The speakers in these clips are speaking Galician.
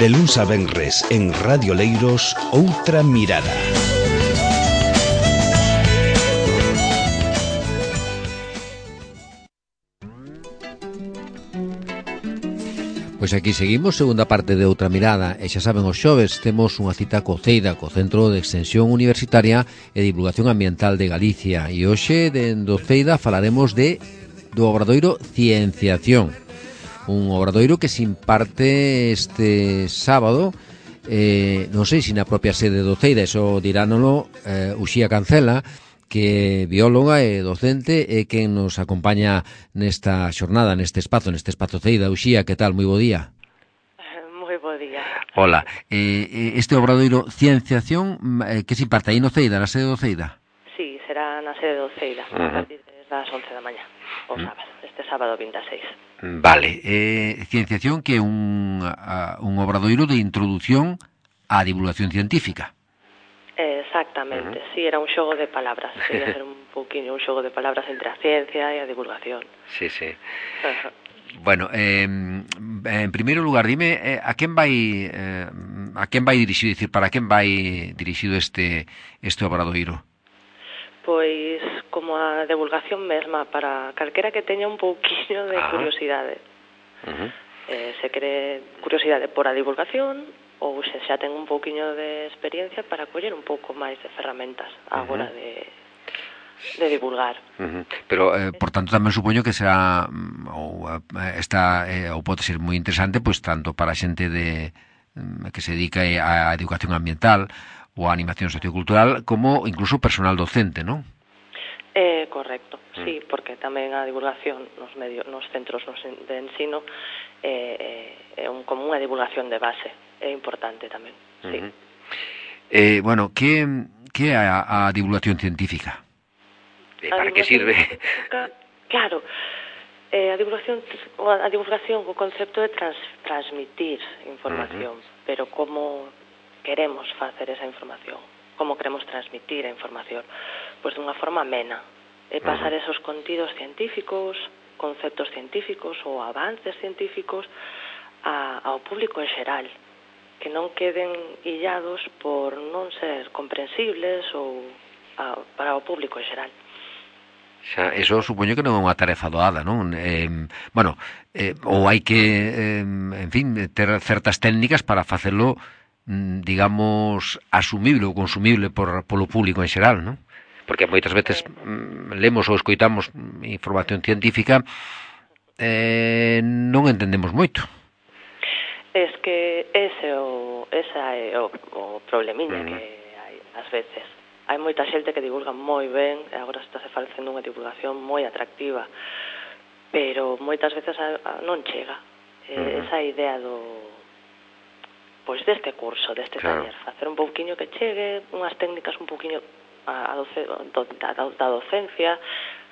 De luns a venres en Radio Leiros, Outra Mirada. Pois aquí seguimos, segunda parte de Outra Mirada. E xa saben, os xoves temos unha cita co CEIDA, co Centro de Extensión Universitaria e Divulgación Ambiental de Galicia. E hoxe, do CEIDA, falaremos do obradoiro Cienciación. Un obradoiro que se imparte este sábado, non sei se na propia sede do CEIDA, eso diránolo Uxía Cancela, que é bióloga e docente e que nos acompaña nesta xornada, neste espazo CEIDA. Uxía, que tal? Moi bo día. Moi bo día. Hola. Este obradoiro Cienciación, que se imparte aí no CEIDA, na sede do CEIDA? Sí, será na sede do CEIDA, a partir das 11 da mañá, o sábado, este sábado 26. Vale. Cienciación, que é un obradoiro de introdución á divulgación científica. Exactamente, sí, era un xogo de palabras, quería hacer un pouquiño un xogo de palabras entre a ciencia e a divulgación. Sí. Bueno, en primeiro lugar, dime a quen vai dirixido, dicir, para quen vai dirixido este obradoiro? Pois como a divulgación mesma, para calquera que teña un pouquiño de curiosidade. Se quere curiosidade por a divulgación, ou se xa ten un pouquiño de experiencia para coller un pouco máis de ferramentas á hora de divulgar. Pero, por tanto, tamén supoño que será ou pode ser moi interesante, pois tanto para a xente que se dedica á educación ambiental ou á animación sociocultural, como incluso personal docente, non? Correcto, sí, porque tamén a divulgación nos centros de ensino é como unha divulgación de base, é importante tamén, sí. Bueno, que é a divulgación científica? Para que sirve? Claro, a divulgación, o concepto de transmitir información, pero como queremos facer esa información, como queremos transmitir a información, pois dunha forma amena, e pasar esos contidos científicos, conceptos científicos ou avances científicos ao público en xeral, que non queden illados por non ser comprensibles ou para o público en xeral. Xa, eso supoño que non é unha tarefa doada, non? Ou hai que, en fin, ter certas técnicas para facelo, digamos, asumible ou consumible polo público en xeral, non? Porque moitas veces lemos ou escoitamos información científica non entendemos moito. Es que esa é o problemiña que hai ás veces. Hai moita xente que divulga moi ben, e agora está se facendo unha divulgación moi atractiva, pero moitas veces non chega. Esa idea deste curso, deste taller, facer un pouquiño que chegue, unhas técnicas un pouquiño da docencia,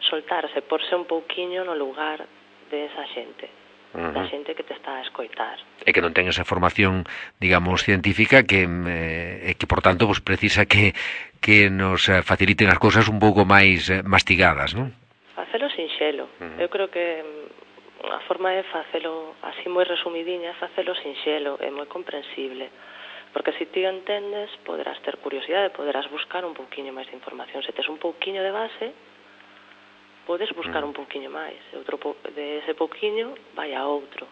soltarse, porse un pouquiño no lugar de esa xente, da xente que te está a escoitar. E que non ten esa formación, digamos, científica que por tanto, pues, precisa que nos faciliten as cousas un pouco máis mastigadas, non? Facelo sinxelo. Eu creo que a forma de facelo así moi resumidiña é facelo sinxelo, é moi comprensible. Porque se ti entendes, poderás ter curiosidade, poderás buscar un pouquiño máis de información. Se tes un pouquiño de base, podes buscar un pouquiño máis. De ese pouquiño vai a outro.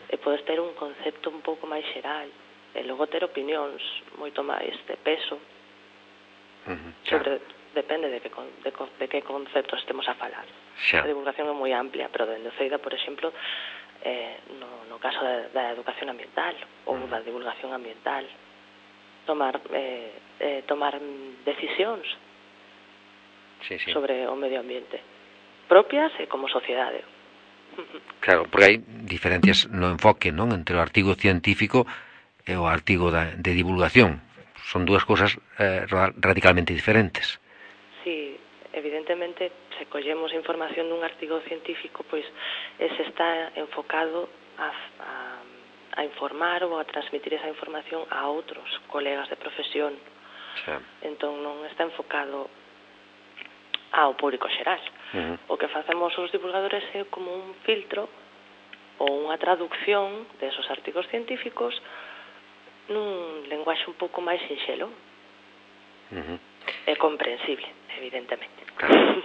E podes ter un concepto un pouco máis xeral. E logo ter opinións moito máis de peso. Depende de que conceptos estemos a falar. A divulgación é moi amplia, pero dende o CEIDA, por exemplo, no caso da educación ambiental ou da divulgación ambiental, tomar decisións sobre o medio ambiente propias e como sociedade. Claro, porque hai diferencias no enfoque, non, entre o artigo científico e o artigo de divulgación. Son dúas cousas radicalmente diferentes. Sí, evidentemente, se collemos información dun artigo científico, pois ese está enfocado a informar ou a transmitir esa información a outros colegas de profesión. Entón non está enfocado ao público xeral. O que facemos os divulgadores é como un filtro ou unha traducción desos artigos científicos nun lenguaxe un pouco máis sinxelo e comprensible, evidentemente. Claro.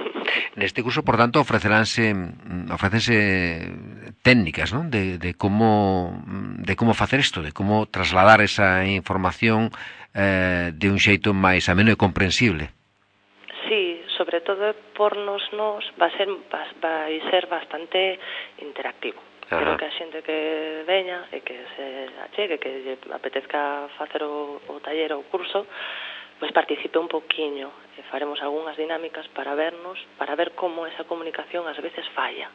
Neste curso, por tanto, ofrécense técnicas, ¿no? de cómo facer isto, de cómo trasladar esa información de un xeito máis ameno e comprensible. Sí, sobre todo pornos vai ser bastante interactivo. Pero que a xente que veña e que se achegue, que lle apetezca facer o taller ou o curso, pois participe un poquiño e faremos algunhas dinámicas para ver como esa comunicación ás veces falla,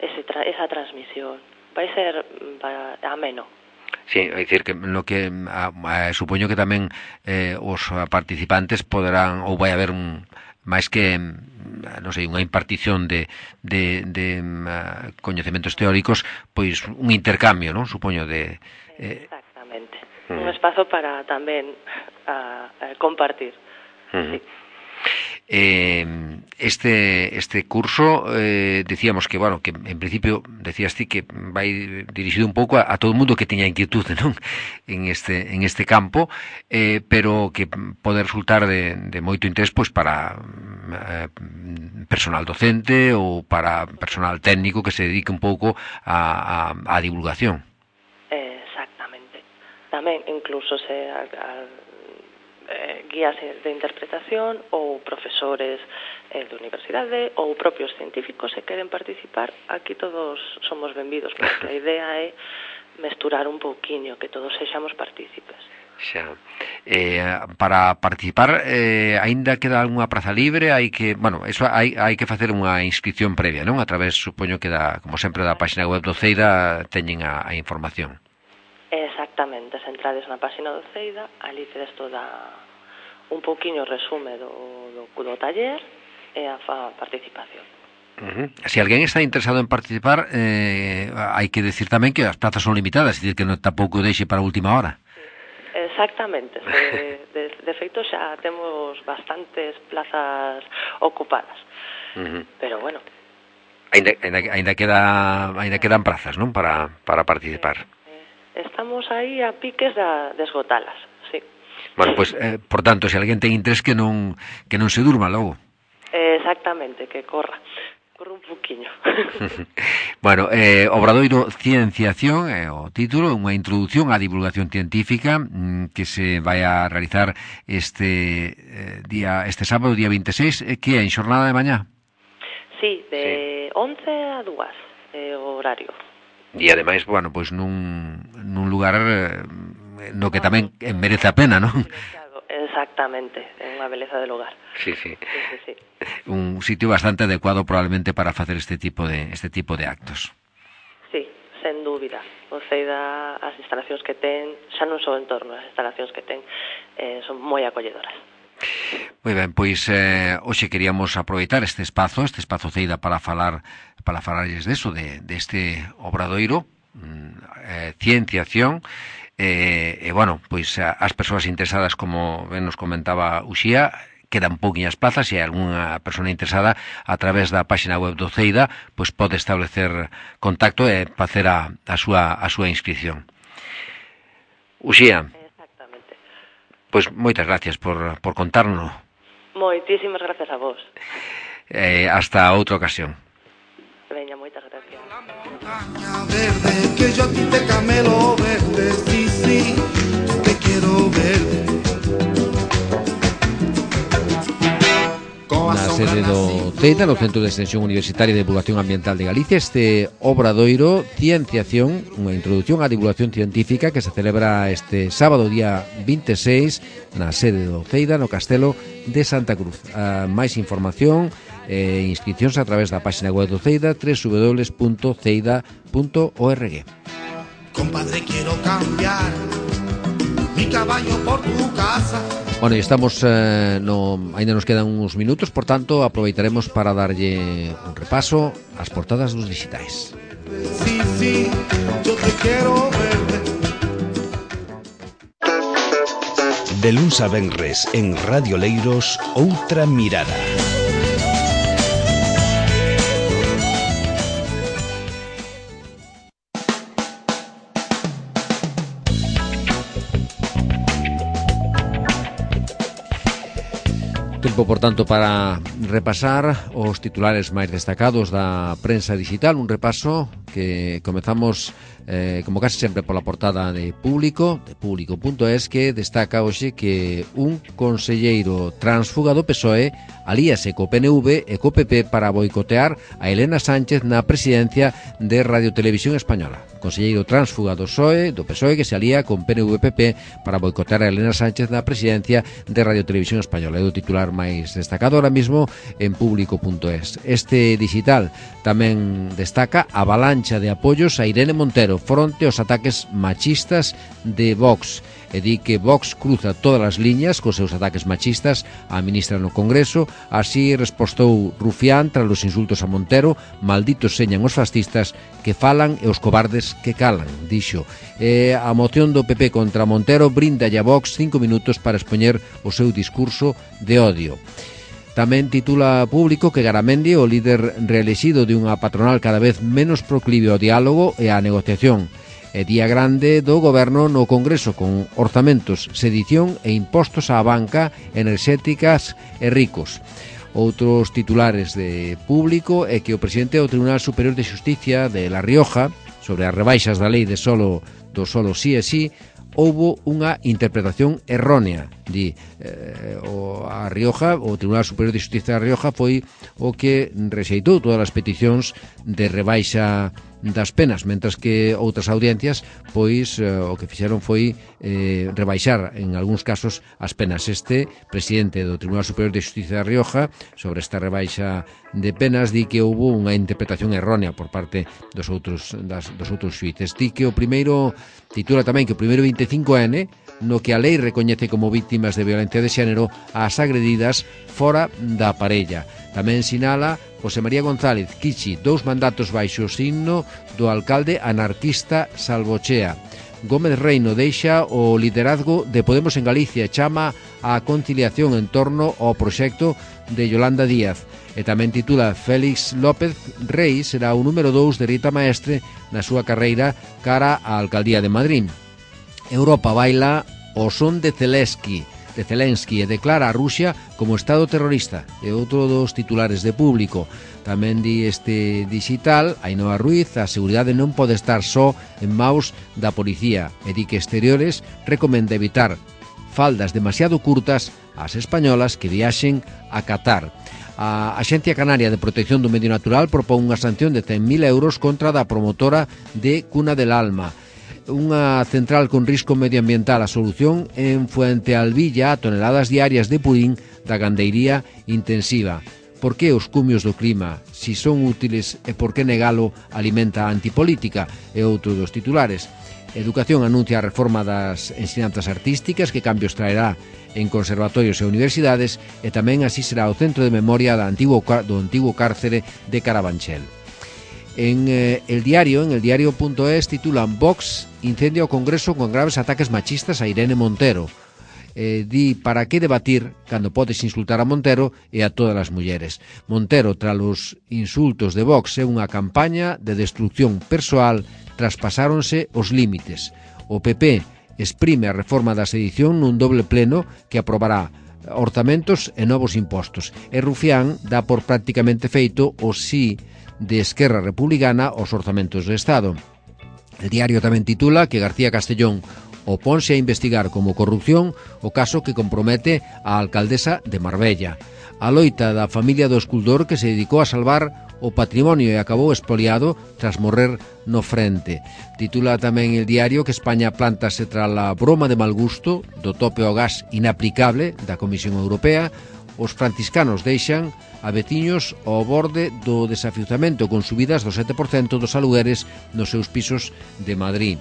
esa transmisión. Vai ser ameno. Sí, é dicir que no que supoño que tamén os participantes poderán, ou vai haber máis que non sei, unha impartición de coñecementos teóricos, pois un intercambio, non? Supoño de exactamente. Un espazo para tamén compartir. Sí. Este curso decíamos que, bueno, que en principio decías ti que vai dirixido un pouco a todo o mundo que teña inquietude, non? En este campo, pero que pode resultar de moito interés pois para personal docente ou para personal técnico que se dedique un pouco a divulgación. Exactamente. Tamén incluso guías de interpretación ou profesores de universidade ou propios científicos se queren participar, aquí todos somos benvidos, porque a idea é mesturar un pouquiño, que todos sexamos partícipes. Xa. Para participar aínda queda algunha praza libre, hai que facer unha inscripción previa, non? A través, supoño que como sempre, da páxina web do CEIDA teñen a información. Exactamente, se entrades na páxina do CEIDA, ali tedes toda un pouquiño resume do taller e a participación. Se alguén está interesado en participar, hai que decir tamén que as plazas son limitadas, é dicir, que non tampouco deixe para a última hora. Exactamente, de feito xa temos bastantes plazas ocupadas, pero bueno. Ainda quedan prazas, non? Para participar. Estamos aí a piques de esgotalas, sí. Bueno, pues, por tanto, se alguén ten interés que non se durma logo. Exactamente, que corra un poquinho. Bueno, Obradoiro Cienciación é o título, unha introducción á divulgación científica que se vai a realizar este sábado, día 26, que é en xornada de mañá. Sí, de 11 a 2 o horario. E ademais, bueno, pois nun lugar no que tamén merece a pena, non? Exactamente, é unha beleza de lugar. Sí. Un sitio bastante adecuado probablemente para facer este tipo de actos. Sí, sen dúbida. O CEIDA, as instalacións que ten, xa non só en torno, as instalacións que ten son moi acolledoras. Moi ben, pois hoxe queríamos aproveitar este espazo CEIDA para falarlles deso, deste obradoiro, Cienciación, e bueno, pois as persoas interesadas, como ben nos comentaba Uxía, quedan pouquiñas plazas, e algunha persona interesada a través da páxina web do CEIDA pois pode establecer contacto e facer a súa inscripción. Uxía, exactamente. Pois moitas gracias por contarnos. Moitísimas gracias a vos. Hasta outra ocasión. Veña, moitas gracias. Verde, que yo a ti te camelo verde, sí, te quiero verde. Na sede do CEIDA, no Centro de Extensión Universitaria de Divulgación Ambiental de Galicia, este obradoiro Cienciación, unha introducción á divulgación científica que se celebra este sábado día 26 na sede do CEIDA, no Castelo de Santa Cruz. Máis información e inscripcións a través da páxina web do CEIDA, www.ceida.org. Compadre, quiero cambiar mi caballo por tu casa. Bueno, e estamos ainda nos quedan uns minutos, por tanto aproveitaremos para darlle un repaso ás portadas dos digitais. Sí, yo te quiero verde. De luns a venres en Radio Leiros, Outra Mirada. Tempo, por tanto, para repasar os titulares máis destacados da prensa digital. Un repaso que comezamos, como casi sempre, pola portada de Público.es, que destaca hoxe que un conselleiro transfuga do PSOE alíase co PNV e co PP para boicotear a Elena Sánchez na presidencia de Radio Televisión Española. Conselleiro transfuga do PSOE que se alía con PNV-PP para boicotear a Elena Sánchez na presidencia de Radio Televisión Española. É o titular máis destacado ahora mismo en Público.es. Este digital tamén destaca a avalancha de apoios a Irene Montero fronte aos ataques machistas de Vox. E di que Vox cruza todas as liñas cos seus ataques machistas á ministra no Congreso. Así respostou Rufián tras os insultos a Montero: malditos señan os fascistas que falan e os cobardes que calan, dixo. A moción do PP contra Montero brinda a Vox 5 minutos para expoñer o seu discurso de odio. Tamén titula Público que Garamendi, o líder reelexido de unha patronal cada vez menos proclive ao diálogo e á negociación. E día grande do goberno no Congreso con orzamentos, sedición e impostos á banca, enerxéticas e ricos. Outros titulares de Público é que o presidente do Tribunal Superior de Xusticia de La Rioja, sobre as rebaixas da lei de solo sí e sí, houbo unha interpretación errónea. Di, a Rioja, o Tribunal Superior de Xusticia da Rioja foi o que rexeitou todas as peticións de rebaixa das penas, mentras que outras audiencias pois o que fixeron foi rebaixar en algúns casos as penas. Este presidente do Tribunal Superior de Xusticia da Rioja, sobre esta rebaixa de penas, di que houbo unha interpretación errónea por parte dos outros xuíces. Di que o primeiro, titula tamén que o primeiro 25N, no que a lei recoñece como víctimas de violencia de xénero as agredidas fora da parella. Tamén sinala José María González Kichi 2 mandatos baixo o signo do alcalde anarquista Salvochea. Gómez Reino deixa o liderazgo de Podemos en Galicia e chama á conciliación en torno ao proxecto de Yolanda Díaz. E tamén titula Félix López Rei será o número 2 de Rita Maestre na súa carreira cara á alcaldía de Madrid. Europa baila o son de Zelensky e declara a Rusia como Estado terrorista. É outro dos titulares de Público. Tamén di este digital, Ainhoa Ruiz, a seguridade non pode estar só en maus da policía, e di que Exteriores recomenda evitar faldas demasiado curtas ás españolas que viaxen a Qatar. A Axencia Canaria de Protección do Medio Natural propón unha sanción de 100.000 euros contra da promotora de Cuna del Alma. Unha central con risco medioambiental, a solución en Fuentealbilla, toneladas diarias de purín da gandeiría intensiva. Por que os cumios do clima, si son útiles, e por que negalo alimenta a antipolítica? É outro dos titulares. Educación anuncia a reforma das ensinanzas artísticas, que cambios traerá en conservatorios e universidades, e tamén así será o centro de memoria do antigo cárcere de Carabanchel. En el diario.es titulan Vox incendia o Congreso con graves ataques machistas a Irene Montero. Di para que debatir cando podes insultar a Montero e a todas as mulleres. Montero, tras os insultos de Vox, é unha campaña de destrucción persoal, traspasáronse os límites. O PP exprime a reforma da sedición nun doble pleno que aprobará orzamentos e novos impostos. E Rufián dá por prácticamente feito o sí de Esquerra Republicana aos orzamentos do Estado. El diario tamén titula que García Castellón oponse a investigar como corrupción o caso que compromete a alcaldesa de Marbella. A loita da familia do escultor que se dedicou a salvar o patrimonio e acabou expoliado tras morrer no frente. Titula tamén el diario que España plántase tras a broma de mal gusto do tope ao gas inaplicable da Comisión Europea. Os franciscanos deixan a veciños ao borde do desafiuzamento con subidas do 7% dos alugueres nos seus pisos de Madrid.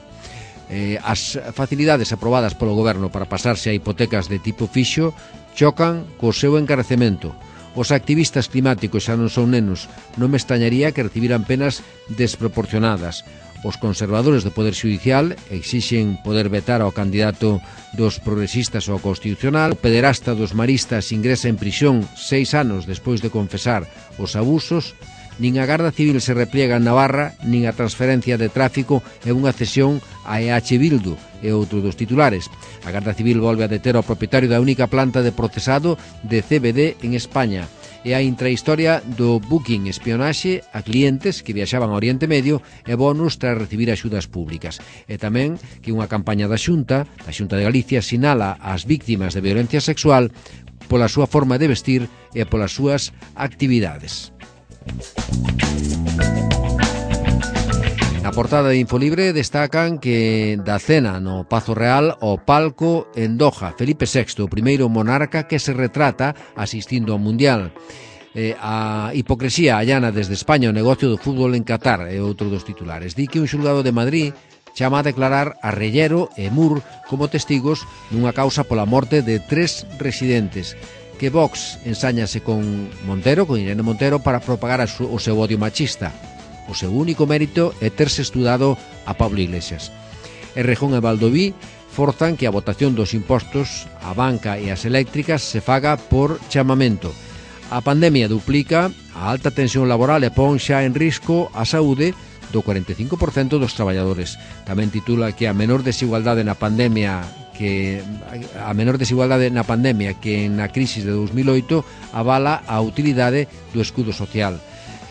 As facilidades aprobadas polo goberno para pasarse a hipotecas de tipo fixo chocan co seu encarecemento. Os activistas climáticos xa non son nenos, non me extrañaría que recibiran penas desproporcionadas. Os conservadores do Poder Xudicial exixen poder vetar ao candidato dos progresistas ao Constitucional. O pederasta dos maristas ingresa en prisión 6 anos despois de confesar os abusos. Nin a Garda Civil se repliega en Navarra, nin a transferencia de tráfico é unha cesión a EH Bildu, é outro dos titulares. A Garda Civil volve a deter ao propietario da única planta de procesado de CBD en España. E a intrahistoria do booking espionaxe a clientes que viaxaban ao Oriente Medio e bonus tras recibir axudas públicas. E tamén que unha campaña da Xunta de Galicia, sinala as víctimas de violencia sexual pola súa forma de vestir e polas súas actividades. Na portada de Infolibre destacan que da cena no Pazo Real ao palco en Doha, Felipe VI, o primeiro monarca que se retrata asistindo ao Mundial. A hipocresía allana desde España o negocio do fútbol en Qatar é outro dos titulares. Di que un xulgado de Madrid chama a declarar a Rellero e Mur como testigos nunha causa pola morte de 3 residentes. Que Vox ensáñase con Montero, con Irene Montero, para propagar o seu odio machista. O seu único mérito é terse estudado a Pablo Iglesias. Errejón e Valdoví forzan que a votación dos impostos á banca e ás eléctricas se faga por chamamento. A pandemia duplica a alta tensión laboral e pon xa en risco a saúde do 45% dos traballadores. Tamén titula que a menor desigualdade na pandemia que na crisis de 2008 avala a utilidade do escudo social.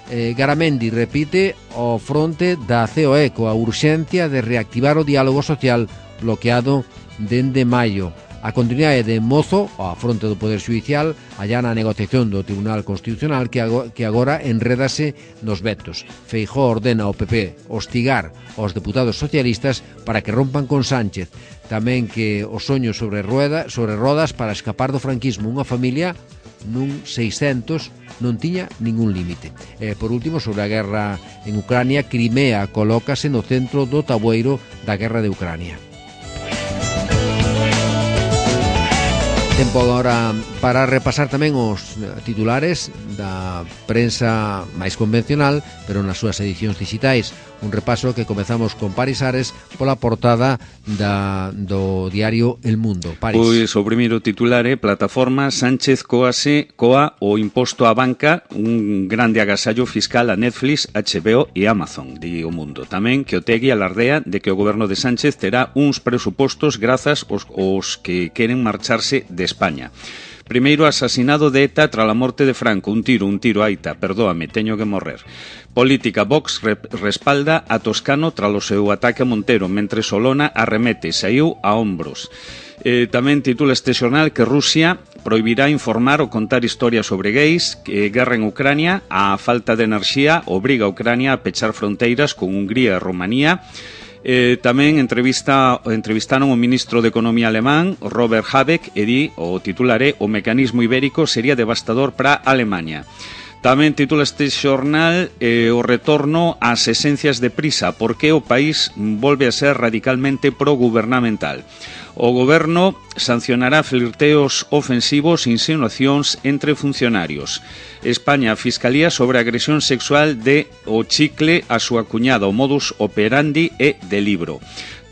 Garamendi repite o fronte da COE coa urxencia de reactivar o diálogo social bloqueado dende maio. A continuidade de Mozo, ao fronte do Poder Xudicial, allá na negociación do Tribunal Constitucional que agora enredase nos vetos. Feijóo ordena ao PP hostigar aos deputados socialistas para que rompan con Sánchez. Tamén que o soño sobre rodas para escapar do franquismo. Unha familia nun 600 non tiña ningún límite. Por último, sobre a guerra en Ucrania, Crimea colócase no centro do tabueiro da guerra de Ucrania. Tempo agora para repasar tamén os titulares da prensa máis convencional, pero nas súas edicións digitais. Un repaso que comezamos con Paris Ares pola portada do diario El Mundo. Paris. Pois o primeiro titular é Plataforma Sánchez coa o imposto á banca, un grande agasallo fiscal a Netflix, HBO e Amazon, di O Mundo. Tamén que Otegi alardea de que o goberno de Sánchez terá uns presupostos grazas aos que queren marcharse de España. Primeiro asasinado de ETA tras a morte de Franco. Un tiro, aita, perdóame, teño que morrer. Política, Vox respalda a Toscano tras o seu ataque a Montero, mentre Solona arremete, saiu a hombros. Tamén titula este xornal que Rusia prohibirá informar ou contar historias sobre gays, guerra en Ucrania, a falta de enerxía obriga a Ucrania a pechar fronteiras con Hungría e Rumanía. Tamén entrevistaron o ministro de Economía alemán, Robert Habeck, e di, o titular é o mecanismo ibérico sería devastador para Alemania. Tamén titula este xornal o retorno ás esencias de Prisa, porque o país volve a ser radicalmente progubernamental. O goberno sancionará flirteos ofensivos e insinuacións entre funcionarios. España, Fiscalía sobre a agresión sexual de O Chicle a súa cuñada, o modus operandi é de Libro.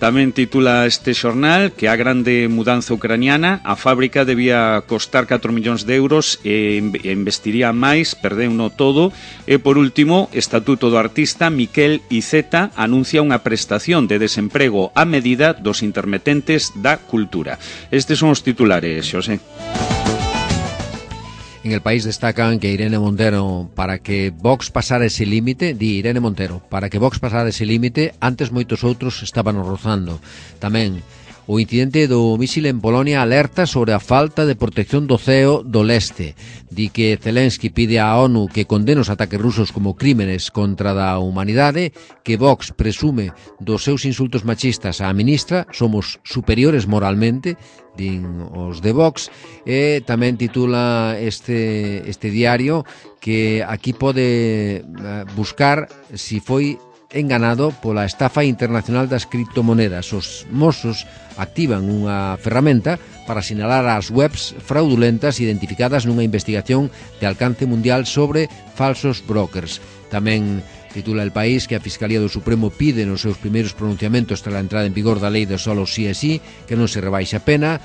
Tamén titula este xornal que a grande mudanza ucraniana, a fábrica debía costar 4 millóns de euros e investiría máis, perdeuno todo. E por último, Estatuto do Artista, Miquel Iceta anuncia unha prestación de desemprego a medida dos intermitentes da cultura. Estes son os titulares, Xosé. En El País destacan que Irene Montero, para que Vox pasara ese límite, para que Vox pasara ese límite, antes moitos outros estaban rozando. Tamén o incidente do mísil en Polonia alerta sobre a falta de protección do ceo do leste. Di que Zelensky pide á ONU que condene os ataques rusos como crímenes contra da humanidade, que Vox presume dos seus insultos machistas á ministra, somos superiores moralmente, din os de Vox. E tamén titula este diario que aquí pode buscar si foi enganado pola estafa internacional das criptomonedas. Os Mossos activan unha ferramenta para sinalar as webs fraudulentas identificadas nunha investigación de alcance mundial sobre falsos brokers. Tamén titula El País que a Fiscalía do Supremo pide nos seus primeiros pronunciamentos tras a entrada en vigor da lei de solo sí e sí que non se rebaixe a pena.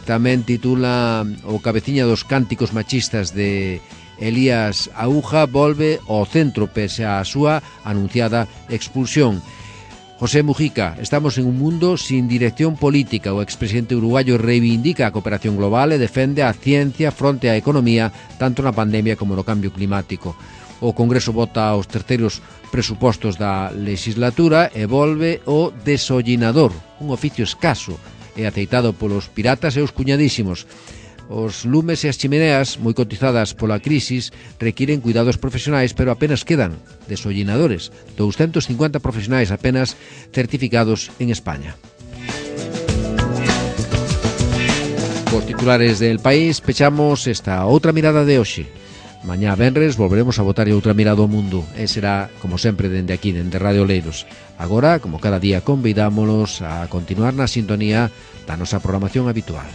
Tamén titula o cabeciña dos cánticos machistas de Elías Aúja volve ao centro pese á súa anunciada expulsión. José Mujica, estamos en un mundo sin dirección política. O expresidente uruguayo reivindica a cooperación global e defende a ciencia fronte á economía, tanto na pandemia como no cambio climático. O Congreso vota os terceiros presupostos da legislatura e volve o desollinador, un oficio escaso e aceitado polos piratas e os cuñadísimos. Os lumes e as chimeneas, moi cotizadas pola crisis, requiren cuidados profesionais, pero apenas quedan desollinadores. 250 profesionais apenas certificados en España. Cos titulares del País, pechamos esta outra mirada de hoxe. Mañá venres volveremos a botar outra mirada ao mundo e será, como sempre, dende aquí, dende Radio Oleiros. Agora, como cada día, convidámolos a continuar na sintonía da nosa programación habitual.